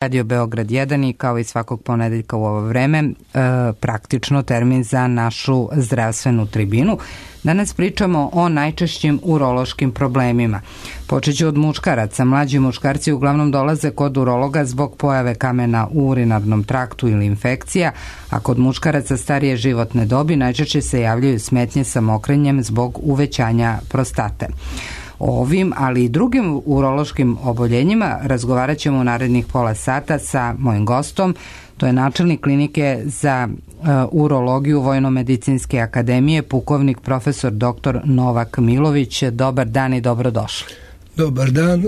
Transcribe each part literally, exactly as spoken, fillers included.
Radio Beograd jedan i kao i svakog ponedeljka u ovo vreme e, praktično termin za našu zdravstvenu tribinu. Danas pričamo o najčešćim urološkim problemima. Počeću od muškaraca. Mlađi muškarci uglavnom dolaze kod urologa zbog pojave kamena u urinarnom traktu ili infekcija, a kod muškaraca starije životne dobi najčešće se javljaju smetnje sa mokrenjem zbog uvećanja prostate. O ovim, ali i drugim urološkim oboljenjima razgovarat ćemo u narednih pola sata sa mojim gostom. To je načelnik klinike za uh, urologiju Vojno-medicinske akademije, pukovnik profesor doktor Novak Milović. Dobar dan i dobrodošli. Dobar dan,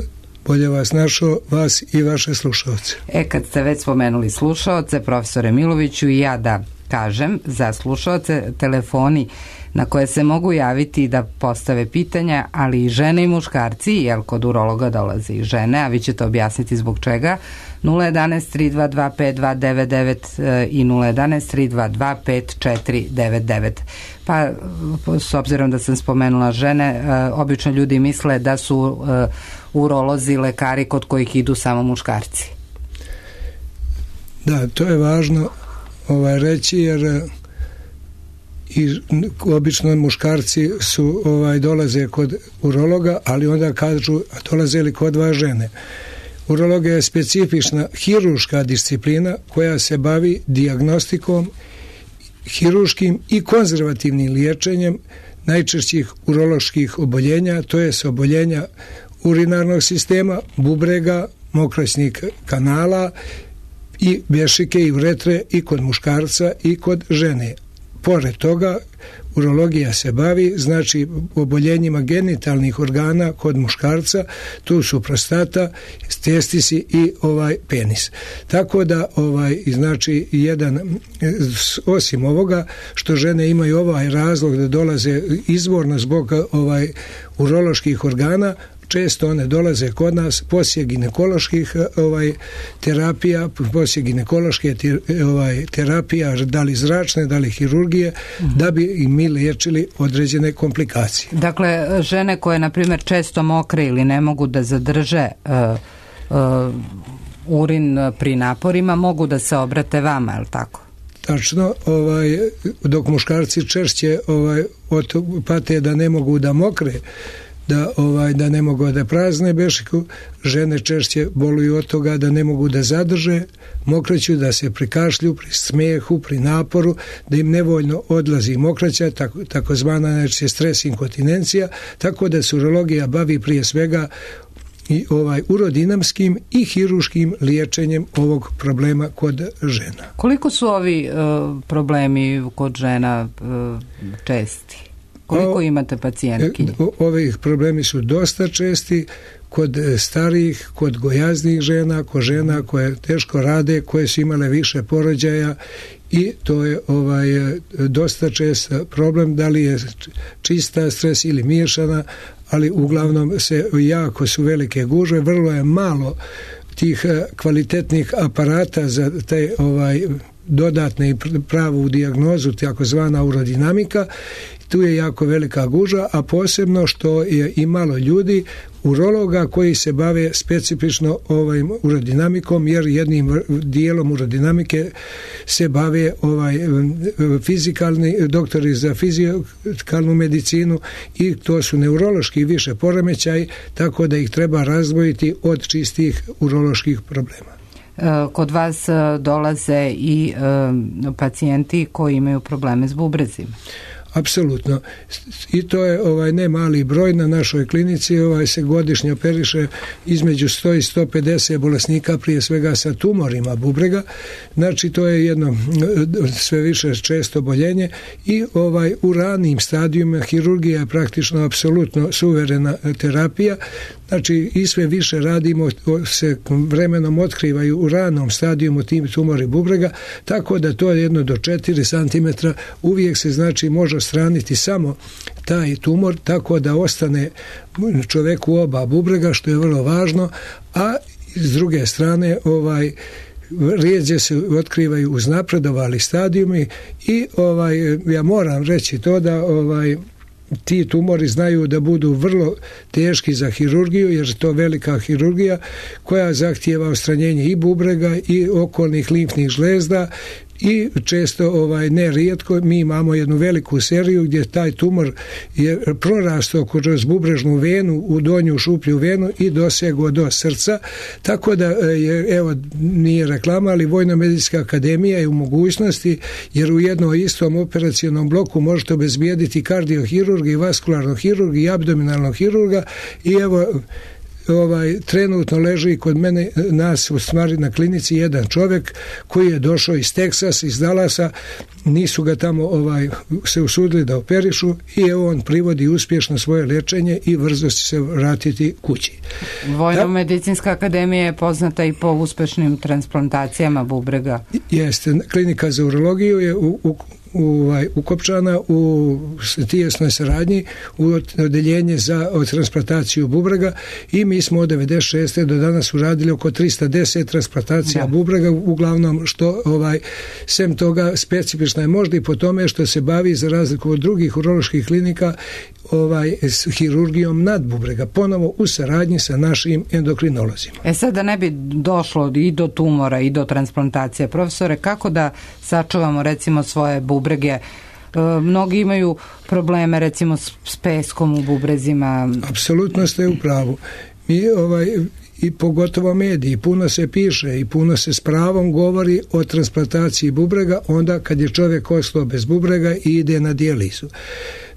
bolje vas našao, vas i vaše slušalce. E, kad ste već spomenuli slušalce, profesore Miloviću, i ja da kažem za slušalce, telefoni na koje se mogu javiti da postave pitanja, ali i žene i muškarci, jer kod urologa dolaze i žene, a vi ćete objasniti zbog čega, nula jedanaest tri dva dva pet dva devet devet i nula jedanaest tri dva dva pet četiri devet devet. Pa, s obzirom da sam spomenula žene, obično ljudi misle da su urolozi lekari kod kojih idu samo muškarci. Da, to je važno ovaj, reći, jer i obično muškarci su ovaj dolaze kod urologa, ali onda kažu, a dolaze li kod vas žene? Urologija je specifična hiruška disciplina koja se bavi dijagnostikom, hiruškim i konzervativnim liječenjem najčešćih uroloških oboljenja, to je oboljenja urinarnog sistema, bubrega, mokraćnih kanala i bešike i uretre i kod muškarca i kod žene. Pored toga, urologija se bavi, znači, oboljenjima genitalnih organa kod muškarca, tu su prostata, testisi i ovaj penis. Tako da, ovaj, znači, jedan, osim ovoga, što žene imaju ovaj razlog da dolaze izvorno zbog ovaj uroloških organa, često one dolaze kod nas poslije ginekoloških ovaj, terapija, poslije ginekološke ovaj, terapija, da li zračne, da li hirurgije, mm-hmm. da bi i mi liječili određene komplikacije. Dakle, žene koje, na primjer, često mokre ili ne mogu da zadrže uh, uh, urin pri naporima, mogu da se obrate vama, je li tako? Tačno, ovaj, dok muškarci češće ovaj, od pate da ne mogu da mokre, da ovaj da ne mogu da prazne bešiku, žene češće boluju od toga da ne mogu da zadrže mokraću, da se prikašlju pri smijehu, pri naporu, da im nevoljno odlazi mokraća, tako, takozvana znači stres inkontinencija, tako da se urologija bavi prije svega i ovaj urodinamskim i hiruškim liječenjem ovog problema kod žena. Koliko su ovi uh, problemi kod žena uh, česti? Koliko imate pacijentki? Ovi problemi su dosta česti kod starijih, kod gojaznih žena, kod žena koje teško rade, koje su imale više porođaja, i to je ovaj dosta čest problem, da li je čista stres ili miješana, ali uglavnom se jako su velike gužve, vrlo je malo tih kvalitetnih aparata za te ovaj dodatne i pravu dijagnozu, takozvana urodinamika. Tu je jako velika gužva, a posebno što je i malo ljudi, urologa koji se bave specifično ovim urodinamikom, jer jednim dijelom urodinamike se bave ovaj fizikalni doktori za fizikalnu medicinu, i to su neurološki više poremećaj, tako da ih treba razdvojiti od čistih uroloških problema. Kod vas dolaze i pacijenti koji imaju probleme s bubrezima. Apsolutno. I to je ovaj ne mali broj na našoj klinici, ovaj se godišnje operiše između sto i sto pedeset bolesnika, prije svega sa tumorima bubrega. Znači, to je jedno sve više često oboljenje, i ovaj u ranim stadijima hirurgija je praktično apsolutno suverena terapija. Znači, i sve više radimo, se vremenom otkrivaju u ranom stadijumu tim tumori bubrega, tako da to je jedno do četiri centimetra, uvijek se znači može odstraniti samo taj tumor, tako da ostane čoveku oba bubrega, što je vrlo važno, a s druge strane ovaj rijeđe se otkrivaju uznapredovali stadijumi, i ovaj ja moram reći to da ovaj ti tumori znaju da budu vrlo teški za hirurgiju, jer je to velika hirurgija koja zahtijeva odstranjenje i bubrega i okolnih limfnih žlezda i često, ovaj, ne rijetko, mi imamo jednu veliku seriju gdje taj tumor je prorastao kroz bubrežnu venu u donju šuplju venu i dosegao do srca, tako da je, evo, nije reklama, ali Vojno-medicinska akademija je u mogućnosti, jer u jednom istom operacionom bloku možete obezbijediti kardiohirurga i vaskularnog hirurga i abdominalnog hirurga i evo, ovaj, trenutno leži kod mene, nas u stvari na klinici, jedan čovjek koji je došao iz Teksasa, iz Dallasa, nisu ga tamo ovaj, se usudili da operišu i evo on privodi uspješno svoje liječenje i brzo će se vratiti kući. Vojno-medicinska akademija je poznata i po uspješnim transplantacijama bubrega. Jeste, klinika za urologiju je u, u Ovaj, ukopčana u tijesnoj saradnji u odeljenje za transplantaciju bubrega i mi smo od devedeset šeste do danas uradili oko tristo deset transplantacija da. bubrega, uglavnom što ovaj, sem toga specifična je možda i po tome što se bavi, za razliku od drugih uroloških klinika, ovaj, s hirurgijom nad bubrega, ponovo u saradnji sa našim endokrinolozima. E sad, da ne bi došlo i do tumora i do transplantacije, profesore, kako da sačuvamo recimo svoje bubrege? E, mnogi imaju probleme recimo s, s peskom u bubrezima. Apsolutno ste u pravu. Mi ovaj i pogotovo mediji, puno se piše i puno se s pravom govori o transplantaciji bubrega onda kad je čovjek ostao bez bubrega i ide na dijalizu.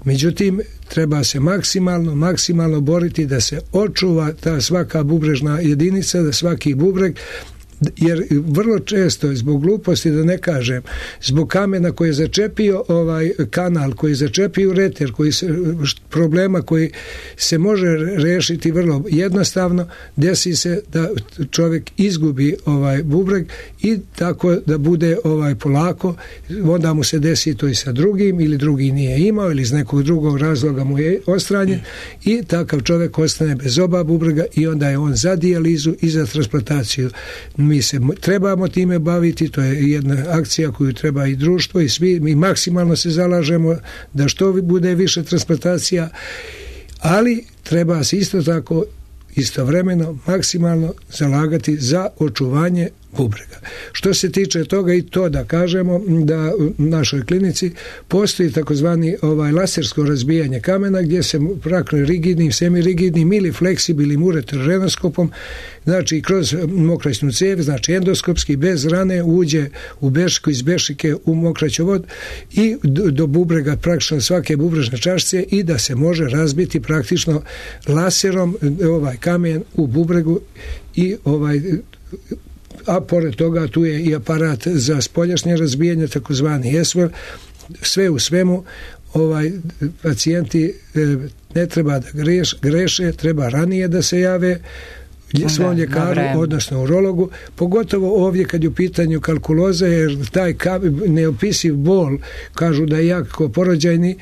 Međutim, treba se maksimalno, maksimalno boriti da se očuva ta svaka bubrežna jedinica, da svaki bubreg, jer vrlo često zbog gluposti, da ne kažem, zbog kamena koji je začepio ovaj kanal, koji je začepio ureter, koji se, problema koji se može rešiti vrlo jednostavno, desi se da čovjek izgubi ovaj bubreg i tako da bude ovaj polako, onda mu se desi to i sa drugim, ili drugi nije imao ili iz nekog drugog razloga mu je ostranjen i takav čovjek ostane bez oba bubrega i onda je on za dijalizu i za transplantaciju. Mi se trebamo time baviti, to je jedna akcija koju treba i društvo i svi, mi maksimalno se zalažemo da što bude više transplantacija, ali treba se isto tako istovremeno maksimalno zalagati za očuvanje bubrega. Što se tiče toga i to da kažemo da u našoj klinici postoji takozvani ovaj lasersko razbijanje kamena gdje se praktično rigidnim, semirigidnim ili fleksibilnim ureterorenoskopom, znači kroz mokraćnu cijev, znači endoskopski bez rane uđe u bešiku, iz bešike u mokraćovod i do, do bubrega praktično svake bubrežne čašice i da se može razbiti praktično laserom ovaj kamen u bubregu i ovaj, a pored toga tu je i aparat za spoljašnje razbijanje, takozvani E S V L. Sve u svemu ovaj pacijenti ne treba da greš, greše, treba ranije da se jave svom ljekaru, odnosno urologu, pogotovo ovdje kad je u pitanju kalkuloza, jer taj neopisiv bol, kažu da je jako porođajni,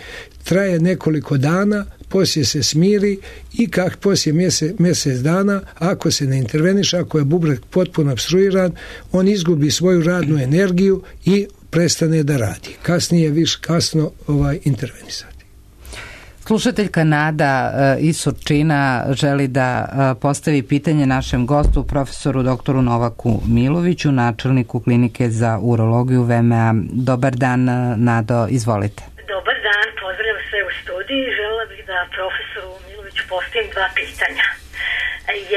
traje nekoliko dana, poslije se smiri i kak poslije mjesec, mjesec dana, ako se ne interveniše, ako je bubreg potpuno opstruiran, on izgubi svoju radnu energiju i prestane da radi. Kasnije više kasno ovaj intervenisati. Slušateljka Nada iz Surčina želi da postavi pitanje našem gostu, profesoru doktoru Novaku Miloviću, načelniku klinike za urologiju V M A. Dobar dan, Nado, izvolite. Dobar dan, pozdravljam sve u studiji. Želela bih da profesoru Miloviću postavim dva pitanja.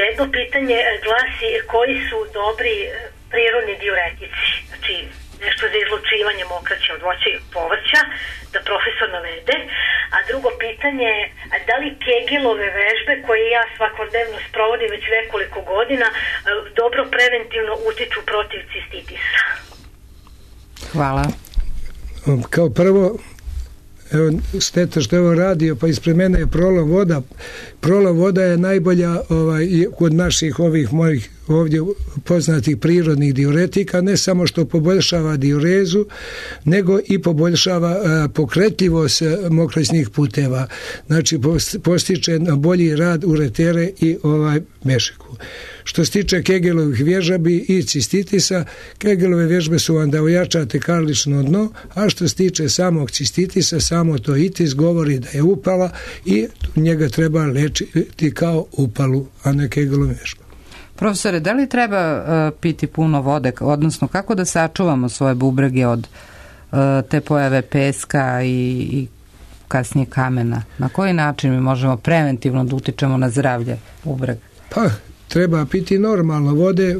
Jedno pitanje glasi koji su dobri prirodni diuretici, znači nešto za izlučivanje mokraće od voća i povrća, da profesor navede. A drugo pitanje, da li Kegelove vežbe koje ja svakodnevno sprovodim već nekoliko godina dobro preventivno utiču protiv cistitisa? Hvala. Kao prvo, evo, šteta što je ovo radio, pa ispred mene je prolov voda. Prolov voda je najbolja ovaj, kod naših ovih mojih ovdje poznatih prirodnih diuretika, ne samo što poboljšava diurezu, nego i poboljšava pokretljivost mokraćnih puteva. Znači postiče bolji rad uretere i ovaj bešiku. Što se tiče Kegelovih vježbi i cistitisa, Kegelove vježbe su vam da ojačate karlično dno, a što se tiče samog cistitisa, samo to itis govori da je upala i njega treba lečiti kao upalu, a ne Kegelovu vježbu. Profesore, da li treba uh, piti puno vode, odnosno kako da sačuvamo svoje bubrege od uh, te pojave peska i, i kasnije kamena? Na koji način mi možemo preventivno da utičemo na zdravlje bubrega? Pa, treba piti normalno vode,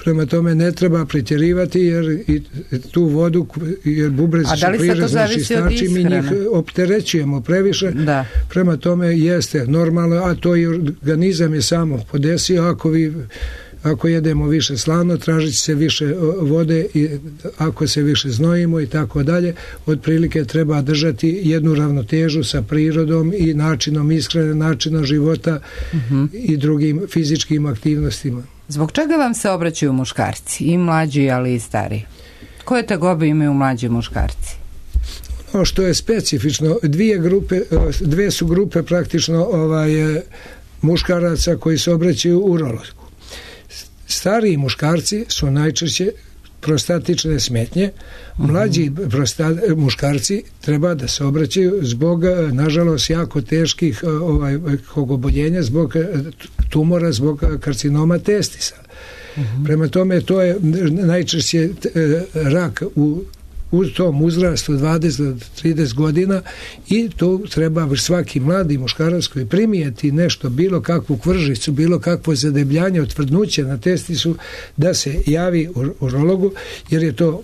prema tome ne treba pretjerivati jer i tu vodu, jer bubrezi su prirodni čistači, mi njih opterećujemo previše, da. Prema tome jeste normalno, a to i organizam je samo podesio. Ako vi ako jedemo više slano, tražit će se više vode, i ako se više znojimo i tako dalje, otprilike treba držati jednu ravnotežu sa prirodom i načinom ishrane, načinom života uh-huh. i drugim fizičkim aktivnostima. Zbog čega vam se obraćaju muškarci, i mlađi, ali i stariji? Koje tegobe imaju mlađi muškarci? Ono što je specifično, dvije grupe, dve su grupe praktično ovaj, muškaraca koji se obraćaju urologu. Stariji muškarci su najčešće prostatične smetnje, mlađi prosta, muškarci treba da se obraćaju zbog, nažalost, jako teških ovaj, oboljenja, zbog tumora, zbog karcinoma testisa. Uh-huh. Prema tome, to je najčešće rak u u tom uzrastu dvadeset do trideset godina i to treba svaki mladi muškarac koji primijeti nešto, bilo kakvu kvržicu, bilo kakvo zadebljanje, otvrdnuće na testisu, da se javi urologu, jer je to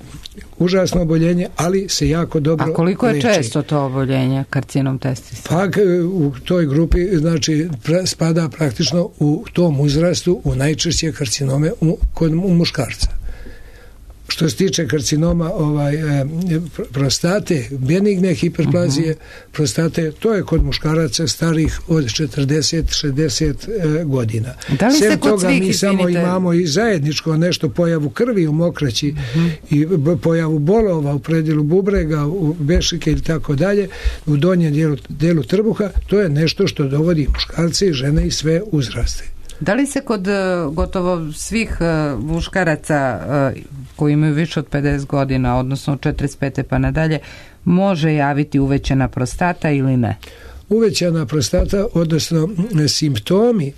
užasno oboljenje, ali se jako dobro leči. A koliko je leči. Često to oboljenje karcinom testisa? Pa u toj grupi, znači, spada praktično u tom uzrastu u najčešće karcinome u, kod u muškarca. Što se tiče karcinoma ovaj, e, prostate, benigne hiperplazije uh-huh. prostate, to je kod muškaraca starih od četrdeset do šezdeset e, godina. Da li se Sem kod toga svih mi samo izvinite... imamo i zajedničko nešto, pojavu krvi u mokraći uh-huh. i b, pojavu bolova u predjelu bubrega, u bešike i tako dalje, u donjem dijelu, dijelu trbuha, to je nešto što dovodi muškarce i žene i sve uzraste. Da li se kod gotovo svih muškaraca koji imaju više od pedeset godina, odnosno od četrdeset pete pa nadalje, može javiti uvećana prostata ili ne? Uvećana prostata, odnosno simptomi e,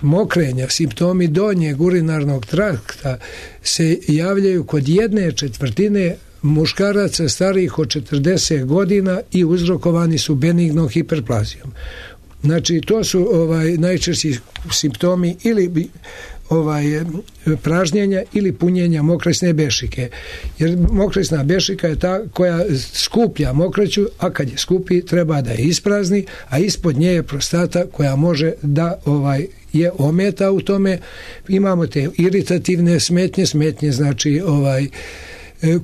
mokrenja, simptomi donjeg urinarnog trakta se javljaju kod jedne četvrtine muškaraca starijih od četrdeset godina i uzrokovani su benignom hiperplazijom. Znači, to su ovaj najčešći simptomi ili ovaj pražnjenja ili punjenja mokraćne bešike. Jer mokraćna bešika je ta koja skuplja mokraću, a kad je skupi treba da je isprazni, a ispod nje je prostata koja može da ovaj je ometa u tome. Imamo te iritativne smetnje, smetnje znači ovaj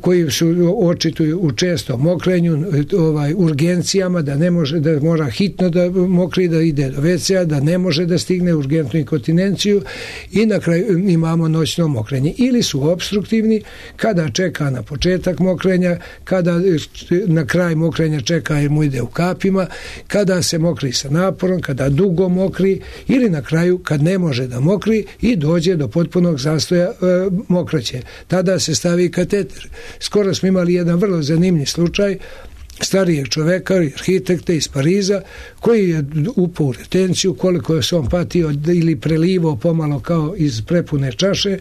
koji su očituju u čestom mokrenju, ovaj, urgencijama, da ne može, da mora hitno da mokri, da ide do ve ce a, da ne može da stigne urgentnu inkontinenciju i na kraju imamo noćno mokrenje. Ili su obstruktivni, kada čeka na početak mokrenja, kada na kraj mokrenja čeka jer mu ide u kapima, kada se mokri sa naporom, kada dugo mokri ili na kraju kad ne može da mokri i dođe do potpunog zastoja e, mokraće. Tada se stavi kateter. Skoro smo imali jedan vrlo zanimljiv slučaj starijeg čoveka, arhitekta iz Pariza, koji je upao u retenciju, koliko se on patio ili prelivao pomalo kao iz prepune čaše.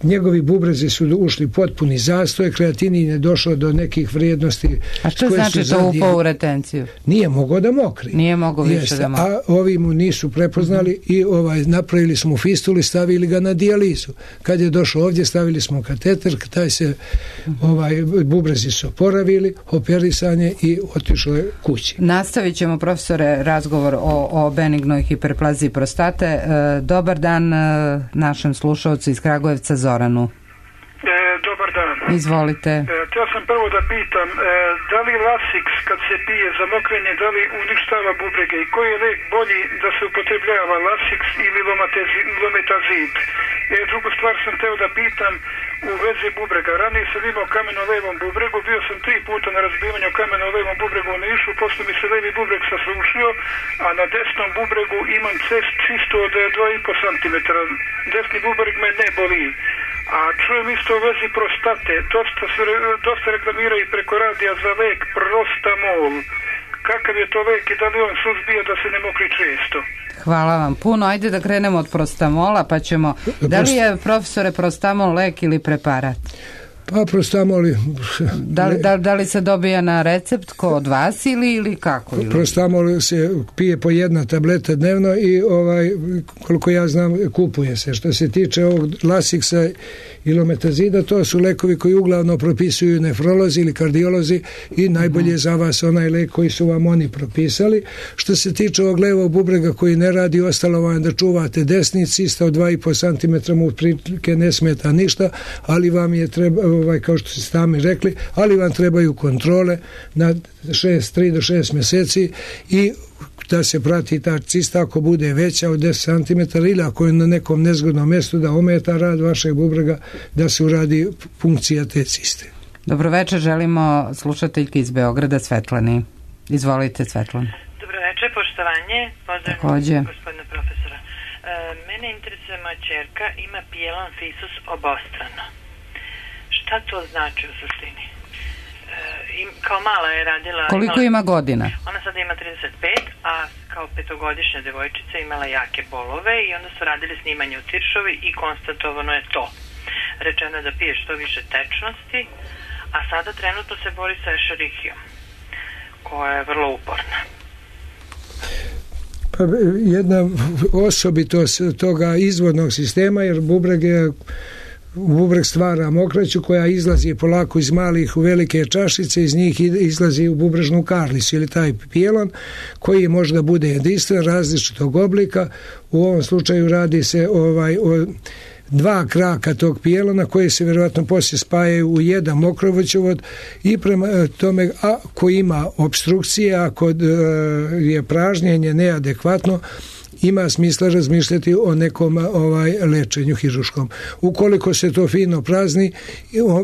Njegovi bubrezi su ušli potpuni zastoj, kreatinin je došao do nekih vrijednosti. A što znači to upao u retenciju? Nije mogao da mokri. Nije mogao više Jeste, da mokri. A ovi mu nisu prepoznali mm-hmm. i ovaj, napravili smo fistulu i stavili ga na dijalizu. Kad je došao ovdje, stavili smo kateter, taj se mm-hmm. ovaj, bubrezi su oporavili, operisanje i otišlo je kući. Nastavit ćemo, profesore, razgovor o, o benignoj hiperplaziji prostate. E, dobar dan e, našem slušalcu iz Kragujevca, Zoranu. E, dobar dan. Izvolite. E, htio sam prvo da pitam, e, da li Lasix kad se pije za mokrenje, da li uništava bubrege i koji je lek bolji da se upotrebljava, Lasix ili Lometazid? E, drugu stvar sam htio da pitam u vezi bubrega. Ranije sam imao kamen u levom bubregu, bio sam tri puta na razbivanju kamena u levom bubregu u Nišu, pošto mi se levi bubreg sasušio, a na desnom bubregu imam cest čisto od dva i po centimetra. Desni bubreg me ne boli. A čujem isto u vezi prostate, dosta, se, dosta reklamira i preko radija za lek Prostamol. Kakav je to lek i da li on suzbija da se ne mokri često? Hvala vam puno. Ajde da krenemo od Prostamola, pa ćemo... Da li je, profesore, Prostamol lek ili preparat? Pa Prostamol... Da li, da, da li se dobija na recept ko od vas ili, ili kako? Ili? Prostamol se pije po jedna tableta dnevno i ovaj, koliko ja znam, kupuje se. Što se tiče ovog Lasixa i Lometazida, to su lekovi koji uglavnom propisuju nefrolozi ili kardiolozi i najbolje je za vas onaj lek koji su vam oni propisali. Što se tiče ovog levog bubrega koji ne radi, ostalo vam da čuvate desni, cista od dva i po centimetra mu prilike ne smeta ništa, ali vam je treba, ovaj, kao što ste sami rekli, ali vam trebaju kontrole na šest, tri do šest mjeseci i da se prati ta cista ako bude veća od deset centimetara ili ako je na nekom nezgodnom mjestu da ometa rad vašeg bubrega, da se uradi funkcija te ciste. Dobro večer, želimo slušateljki iz Beograda Svetlani. Izvolite, Svetlana. Dobro večer, poštovanje. Pozdravljam gospodina profesora. E, mene interesuje moja ćerka, ima pijelon fisus obostrano. Šta to znači u suštini? I kao mala je radila... Koliko imala, ima godina? Ona sada ima trideset pet, a kao petogodišnja devojčica imala jake bolove i onda su radili snimanje u Tiršovi i konstatovano je to. Rečeno je da pije što više tečnosti, a sada trenutno se bori sa Escherichiom, koja je vrlo uporna. Pa jedna osobitost toga izvodnog sistema, jer bubreg je bubreg stvara mokraću koja izlazi polako iz malih u velike čašice, iz njih izlazi u bubrežnu karlicu ili taj pijelon koji možda bude jedinstven, različitog oblika. U ovom slučaju radi se ovaj o dva kraka tog pijelona koji se vjerojatno poslije spajaju u jedan mokrovoćevod i prema tome ako ima obstrukcije, ako je pražnjenje neadekvatno, ima smisla razmišljati o nekom ovaj lečenju hiruškom. Ukoliko se to fino prazni,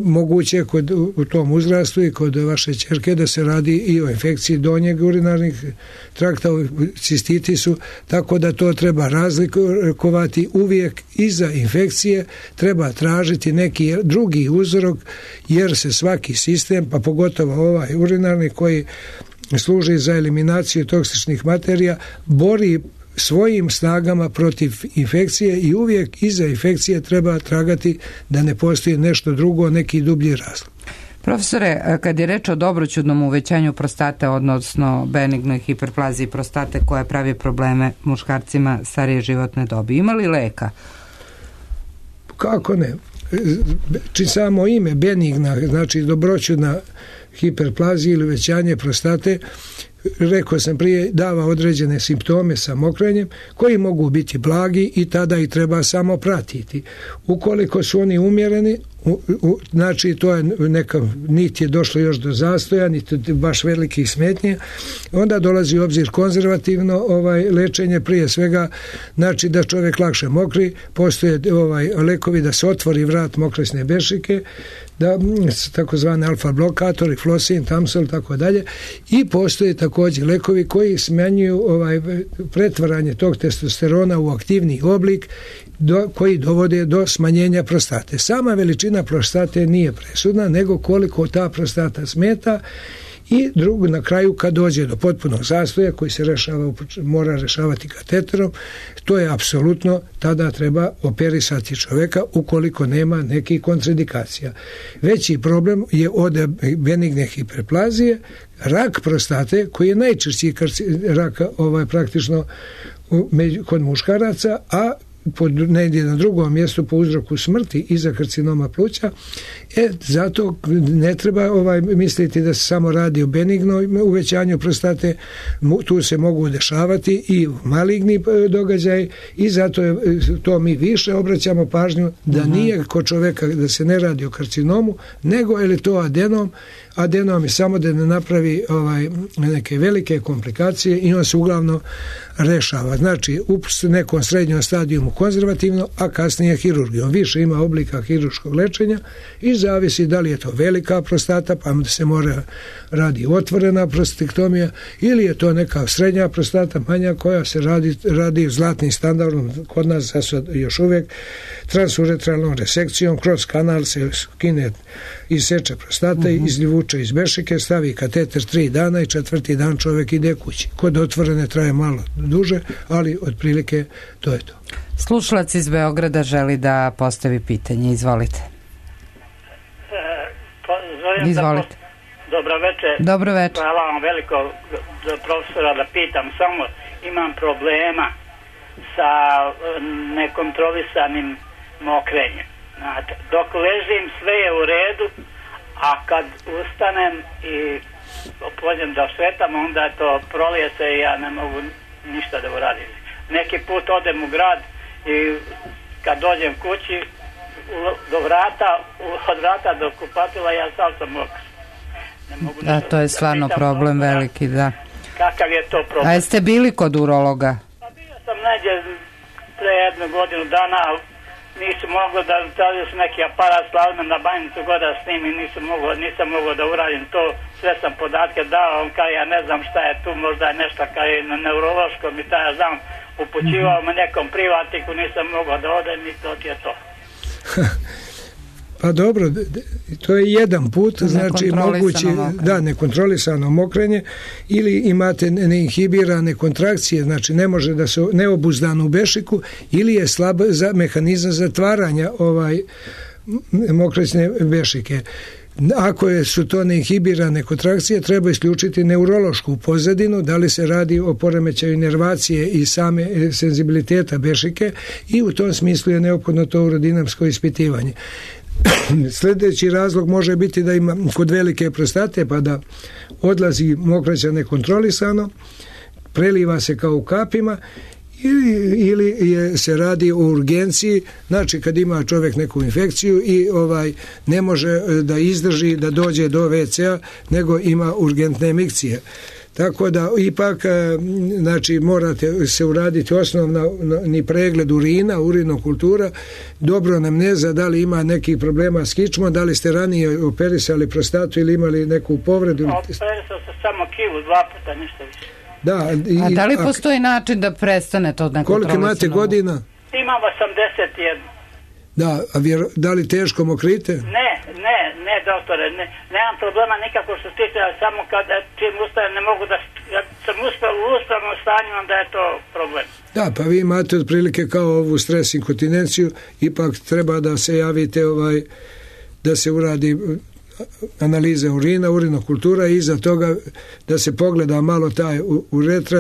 moguće kod, u tom uzrastu i kod vaše ćerke da se radi i o infekciji donjeg urinarnih trakta, o cistitisu, tako da to treba razlikovati uvijek. Iza infekcije treba tražiti neki drugi uzrok, jer se svaki sistem, pa pogotovo ovaj urinarni koji služi za eliminaciju toksičnih materija, bori svojim snagama protiv infekcije i uvijek iza infekcije treba tragati da ne postoji nešto drugo, neki dublji razlog. Profesore, kad je reč o dobroćudnom uvećanju prostate, odnosno benignoj hiperplaziji prostate koja pravi probleme muškarcima starije životne dobi, ima li leka? Kako ne? Či samo ime benigna, znači dobroćudna hiperplazija ili uvećanje prostate, rekao sam prije, dava određene simptome sa mokrenjem koji mogu biti blagi i tada i treba samo pratiti. Ukoliko su oni umjereni, u, u, znači to je neka, niti je došlo još do zastoja, niti baš velikih smetnje, onda dolazi u obzir konzervativno ovaj lečenje, prije svega znači da čovjek lakše mokri, postoje ovaj lekovi da se otvori vrat mokresne bešike, da takozvani alfa blokatori, flosin, tamsol, tako dalje, i postoje također lekovi koji smanjuju ovaj pretvaranje tog testosterona u aktivni oblik do, koji dovode do smanjenja prostate. Sama veličina prostate nije presudna, nego koliko ta prostata smeta. I drugo, na kraju kad dođe do potpunog zastoja koji se rešava, mora rešavati kateterom, to je apsolutno, tada treba operisati čovjeka ukoliko nema nekih kontraindikacija. Veći problem je od benigne hiperplazije, rak prostate koji je najčešći rak ovaj, praktično kod muškaraca, a pod, negdje na drugom mjestu po uzroku smrti iza karcinoma pluća. E, zato ne treba ovaj, misliti da se samo radi o benignoj uvećanju prostate, tu se mogu dešavati i maligni događaj i zato je, to mi više obraćamo pažnju da nije kod čoveka da se ne radi o karcinomu, nego je li to adenom, adenom je samo da ne napravi ovaj, neke velike komplikacije i on se uglavnom rešava. Znači, u nekom srednjom stadijumu konzervativno, a kasnije hirurgijom. Više ima oblika hirurškog lečenja i zavisi da li je to velika prostata, pa da se mora radi otvorena prostatektomija, ili je to neka srednja prostata, manja, koja se radi, radi zlatnim standardom kod nas sad još uvijek transuretralnom resekcijom, kroz kanal se skine i seče prostata, uh-huh. izljuvuče iz bešike, stavi kateter tri dana i četvrti dan čovjek ide kući. Kod otvorene traje malo duže, ali otprilike to je to. Slušalac iz Beograda želi da postavi pitanje. Izvolite. E, pa, Izvolite. Da, dobro večer. Dobro večer. Hvala vam veliko za profesora da pitam. Samo imam problema sa nekontrolisanim mokrenjem. Znate, dok ležim sve je u redu, a kad ustanem i pođem da šetam, onda je to prolije se i ja ne mogu ništa da uradim. Neki put odem u grad i kad dođem kući do vrata, od vrata do kupatila ja sam sam mokar. Ne mogu da, to je stvarno da problem to, veliki, da. Kakav je to problem? A jeste bili kod urologa? Pa bio sam neđe pre jednu godinu dana, nisu mogli da stavio su neki aparat slavno na banjicu god da snimim, nisam mogao, nisam mogao da uradim to, sve sam podatke dao, on kao ja ne znam šta je tu, možda je nešto kao je na neurološkom i taj ja znam, upućivao me nekom privatniku, nisam mogao da odem i to je to. Pa dobro, to je jedan put, znači mogući, da, nekontrolisano mokrenje, ili imate neinhibirane kontrakcije, znači ne može da se neobuzdano u bešiku, ili je slab za mehanizam zatvaranja ovaj mokrećne bešike. Ako je, su to neinhibirane kontrakcije, treba isključiti neurološku pozadinu, da li se radi o poremećaju inervacije i same senzibiliteta bešike, i u tom smislu je neophodno to urodinamsko ispitivanje. Sljedeći razlog može biti da ima kod velike prostate, pa da odlazi mokraća nekontrolisano, preliva se kao u kapima, ili, ili je, se radi o urgenciji, znači kad ima čovjek neku infekciju i ovaj ne može da izdrži da dođe do ve ce a, nego ima urgentne emikcije. Tako da ipak znači morate se uraditi osnovni pregled urina, urinokultura, dobro anamneza, da li ima nekih problema s kičmom, da li ste ranije operisali prostatu ili imali neku povredu. Operisao sam samo kilu, dva puta, ništa više. Da, i, a da li postoji način da prestane to nekontrolisano? Koliko imate godina? Imam osamdeset jedan. Da, a vjero, da li teško mokrite? Ne, ne, ne, doktore, ne, nemam problema nikako što stiče, ali samo kad čim ustajem ne mogu da, kad sam uspio u uspravnom stanju, onda je to problem. Da, pa vi imate otprilike kao ovu stres inkontinenciju, ipak treba da se javite, ovaj, da se uradi analize urina, urinokultura i iza toga da se pogleda malo taj uretra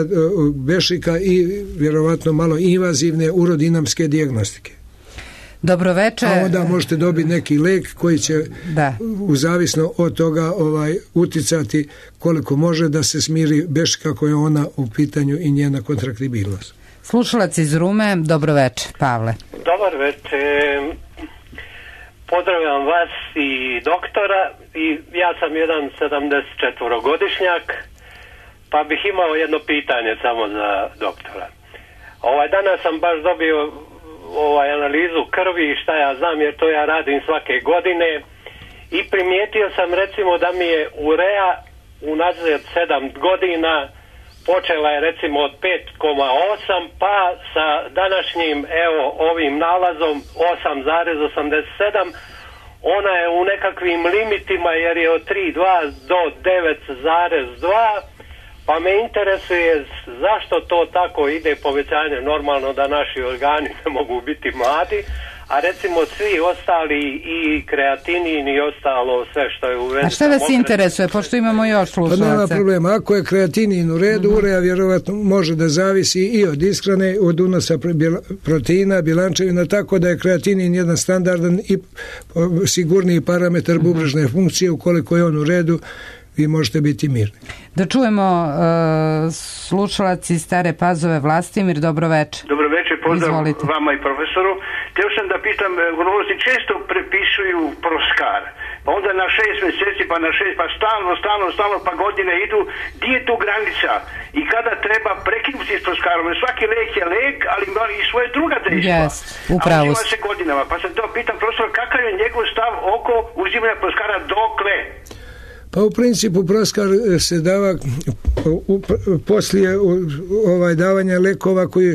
bešika i vjerovatno malo invazivne urodinamske dijagnostike. Dobro večer. A onda možete dobiti neki lek koji će da. u zavisno od toga ovaj uticati koliko može da se smiri bešika koja je ona u pitanju i njena kontraktibilnost. Slušalac iz Rume, dobro večer, Pavle. Dobar večer. Pozdravljam vas i doktora, i ja sam jedan sedamdesetčetvorogodišnjak, pa bih imao jedno pitanje samo za doktora. Ovaj danas sam baš dobio ovaj analizu krvi i šta ja znam, jer to ja radim svake godine, i primijetio sam recimo da mi je urea unazad sedam godina počela je recimo od pet zarez osam, pa sa današnjim evo ovim nalazom osam zarez osamdeset sedam ona je u nekakvim limitima, jer je od tri zarez dva do devet zarez dva, pa me interesuje zašto to tako ide povećanje. Normalno da naši organi ne mogu biti mladi, a recimo svi ostali i kreatinin i ostalo sve što je u vezi. A šta vas mokre... interesuje, pošto imamo još slušalaca? Pa nema problema, ako je kreatinin u redu, uh-huh. urea vjerovatno može da zavisi i od ishrane, od unosa proteina, bilančevina, tako da je kreatinin jedan standardan i sigurniji parametar uh-huh. bubrežne funkcije, ukoliko je on u redu, vi možete biti mirni. Da čujemo uh, slušalac iz Stare Pazove. Vlastimir, dobro večer. Dobro večer, pozdrav Izvolite. Vama i profesoru. Htio sam da pitam, urolozi često prepisuju Proskar, pa onda na šest mjeseci, pa na šest, pa stalno, stalno, stalno, pa godine idu. Gdje je tu granica i kada treba prekinuti s Proskarom? Svaki lek je lek, ali ima i svoje druga dejstva. Yes, upravo. A uzima se godinama, pa sam to pitam profesor, kakav je njegov stav oko uzimanja Proskara dokle? Pa u principu Proskar se dava u, poslije ovaj davanja lekova koji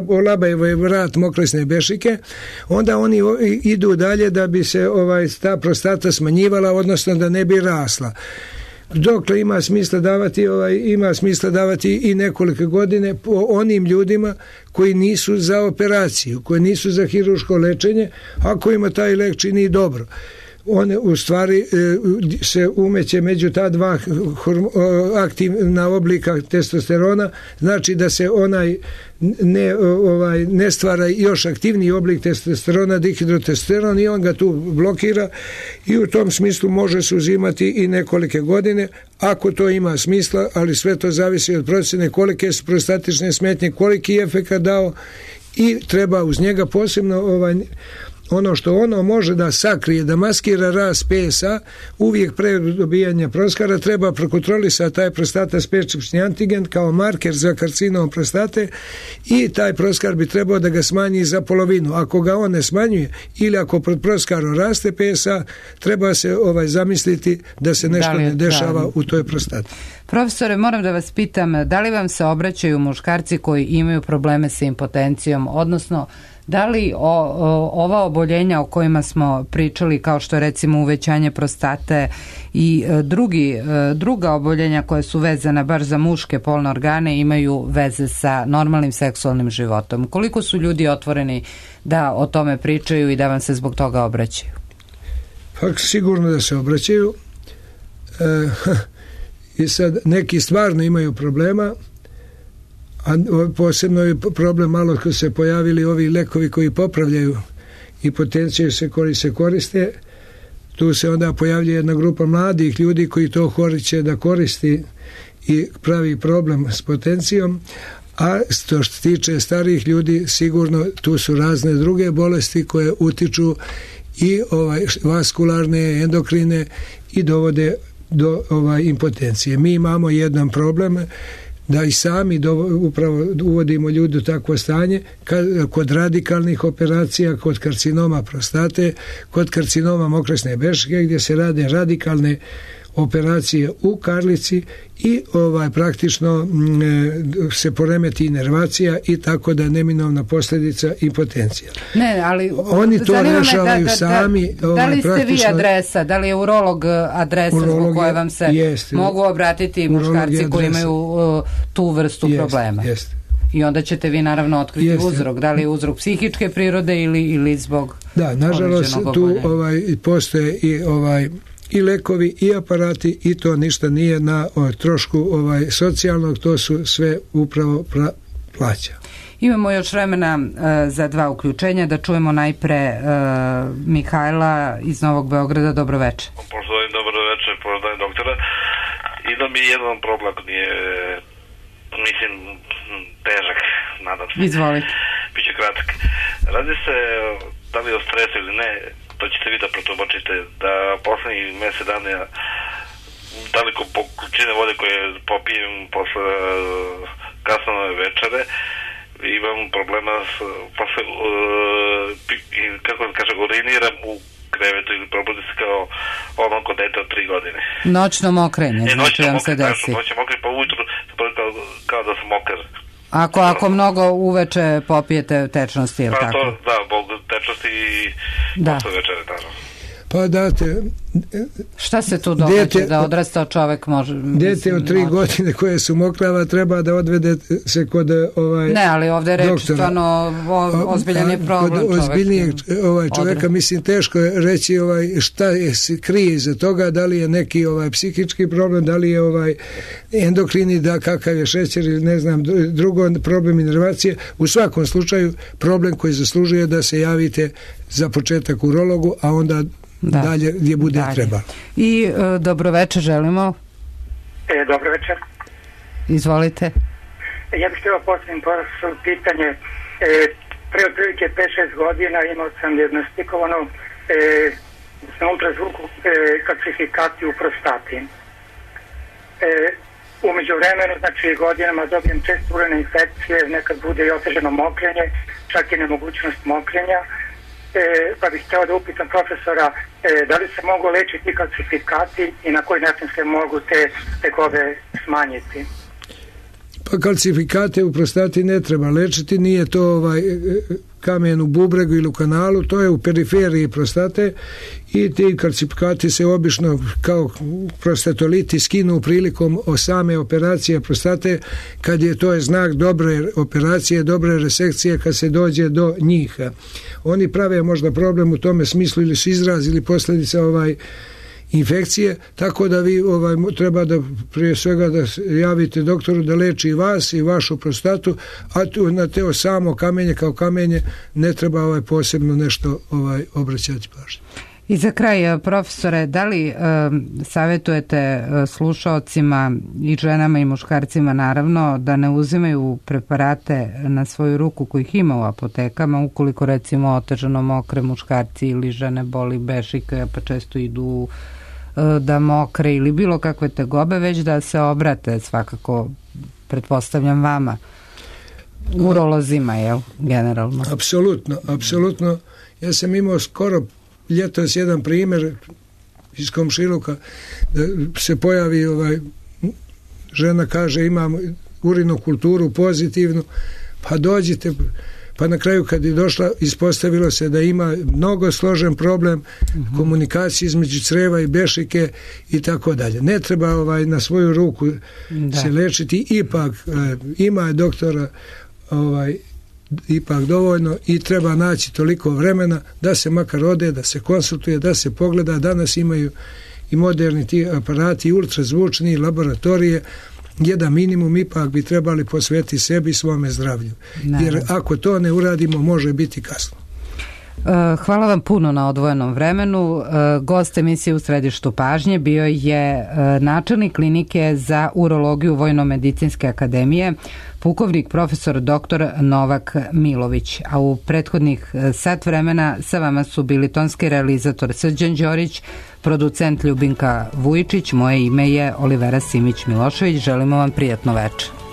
olabaju vrat mokresne bešike, onda oni idu dalje da bi se ovaj ta prostata smanjivala, odnosno da ne bi rasla. Dokle ima smisla davati ovaj ima smisla davati i nekoliko godine po onim ljudima koji nisu za operaciju, koji nisu za hirurško lečenje, ako ima taj lek čini dobro. On u stvari se umeće među ta dva aktivna oblika testosterona, znači da se onaj ne, ovaj, ne stvara još aktivniji oblik testosterona, dihidrotestosteron, i on ga tu blokira i u tom smislu može se uzimati i nekolike godine ako to ima smisla, ali sve to zavisi od procjene kolike su prostatične smetnje, koliki je efekat dao i treba uz njega posebno ovaj ono što ono može da sakrije, da maskira rast P S A, uvijek pre dobijanja Proskara treba prokontrolisati taj prostata specifični antigen kao marker za karcinom prostate i taj Proskar bi trebao da ga smanji za polovinu. Ako ga on ne smanjuje ili ako pod Proskarom raste P S A, treba se ovaj zamisliti da se nešto da ne dešava da. u toj prostati. Profesore, moram da vas pitam, da li vam se obraćaju muškarci koji imaju probleme sa impotencijom, odnosno da li o, o, ova oboljenja o kojima smo pričali, kao što je recimo uvećanje prostate i e, drugi, e, druga oboljenja koja su vezana baš za muške polne organe, imaju veze sa normalnim seksualnim životom? Koliko su ljudi otvoreni da o tome pričaju i da vam se zbog toga obraćaju? Pa sigurno da se obraćaju. E, I sad neki stvarno imaju problema, a posebno je problem malo kad se pojavili ovi lekovi koji popravljaju impotenciju se koji se koriste. Tu se onda pojavlja jedna grupa mladih ljudi koji to hoće da koristi i pravi problem s potencijom, a što se tiče starijih ljudi sigurno tu su razne druge bolesti koje utiču i ovaj vaskularne, endokrine i dovode do ovaj impotencije. Mi imamo jedan problem da i sami do, upravo uvodimo ljudi u takvo stanje kad, kod radikalnih operacija, kod karcinoma prostate, kod karcinoma mokresne bešike, gdje se rade radikalne operacije u karlici i ovaj praktično m, se poremeti inervacija i tako da je neminovna posljedica impotencija. Ne, ali oni to rešavaju da, da, sami. Da, ovaj, da li ste vi adresa, da li je urolog adresa zbog koje vam se jest, mogu obratiti muškarci koji imaju uh, tu vrstu jest, problema? Jest. I onda ćete vi naravno otkriti jest, uzrok, da li je uzrok psihičke prirode ili, ili zbog da, nažalost tu ovaj, postoje i ovaj i lekovi i aparati i to ništa nije na o, trošku ovaj socijalnog, to su sve upravo pra, plaća. Imamo još vremena uh, za dva uključenja, da čujemo najpre uh, Mihajla iz Novog Beograda. Dobro večer. Poštovani, dobro večer, poštovani doktora. Ima mi jedan problem, nije, mislim, težak, nadam se. Izvolite. Biće kratak. Radi se da li o stresu ili ne, to ćete vi da protumačite, da poslednjih mesec dana daliko po količine vode koje popijem posle kasnove večere, imam problema s, posle, uh, kako da kažem, uriniram u krevetu ili probudim se kao ono kod dete od tri godine. Noćno mokrenje, e, znači vam se desi. Noćno mokrenje, pa ujutru kao, kao da sam mokar. Ako, ako mnogo uveče popijete tečnosti, ili pa tako? To, da, bog tečnosti i da. Posle večere, naravno. Pa date... Šta se tu događa dete, da odrastao čovek može... Dete mislim, od tri može. godine koje su mokrava treba da odvede se kod ovaj ne, ali ovde je reč stvarno ozbiljan je problem čovek. Ozbiljnijeg ovaj, čoveka, odre. mislim, teško je reći ovaj, šta je se krije iza toga, da li je neki ovaj psihički problem, da li je ovaj endokrini, da kakav je šećer ili ne znam, drugo problem inervacije. U svakom slučaju problem koji zaslužuje da se javite za početak urologu, a onda da. dalje gdje bude dalje. treba. I e, dobro večer želimo. E, dobro večer. Izvolite. Ja bih htjela postaviti pitanje. E, pre otprilike pet šest godina imao sam dijagnostikovano e, na ultrazvuku e, kalcifikaciju u prostati. E, u međuvremenu, znači godinama dobijem često urinne infekcije, nekad bude i otežano mokrenje, čak i nemogućnost mokrenja. E, pa bih htjela da upitam profesora e, da li se mogu lečiti kalcifikati i na koji način se mogu te tegobe smanjiti. Pa kalcifikate u prostati ne treba lečiti, nije to ovaj kamen u bubregu ili u kanalu, to je u periferiji prostate i ti kalcifikati se obično kao prostatoliti skinu prilikom same operacije prostate, kad je to je znak dobre operacije, dobre resekcije kad se dođe do njih. Oni prave možda problem u tome smislu ili su izraz ili posljedica ovaj infekcije, tako da vi ovaj, treba da prije svega da javite doktoru da leči i vas i vašu prostatu, a tu na teo samo kamenje kao kamenje ne treba ovaj posebno nešto ovaj obraćati pažnju. I za kraj, profesore, da li e, savjetujete slušaocima i ženama i muškarcima naravno da ne uzimaju preparate na svoju ruku kojih ima u apotekama, ukoliko recimo otežano mokre muškarci ili žene boli bešike pa često idu da mokre ili bilo kakve tegobe, već da se obrate svakako, pretpostavljam vama, urolozima, jel, generalno? Apsolutno, apsolutno. Ja sam imao skoro ljetos jedan primjer iz komšiluka da se pojavi ovaj, žena kaže imam urinokulturu pozitivnu, pa dođite, pa na kraju kad je došla ispostavilo se da ima mnogo složen problem uh-huh. komunikacije između creva i bešike i tako dalje. Ne treba ovaj na svoju ruku da. se lečiti, ipak eh, ima doktora ovaj ipak dovoljno i treba naći toliko vremena da se makar ode, da se konsultuje, da se pogleda. Danas imaju i moderni ti aparati, ultrazvučni, laboratorije. Jedan minimum ipak bi trebali posvetiti sebi i svome zdravlju. Ne. Jer ako to ne uradimo, može biti kasno. Hvala vam puno na odvojenom vremenu. Gost emisije U središtu pažnje bio je načelnik klinike za urologiju Vojno-medicinske akademije, pukovnik profesor doktor Novak Milović. A u prethodnih sat vremena sa vama su bili tonski realizator Srđan Đorić, producent Ljubinka Vujičić, moje ime je Olivera Simić Milošević. Želimo vam prijatno večer.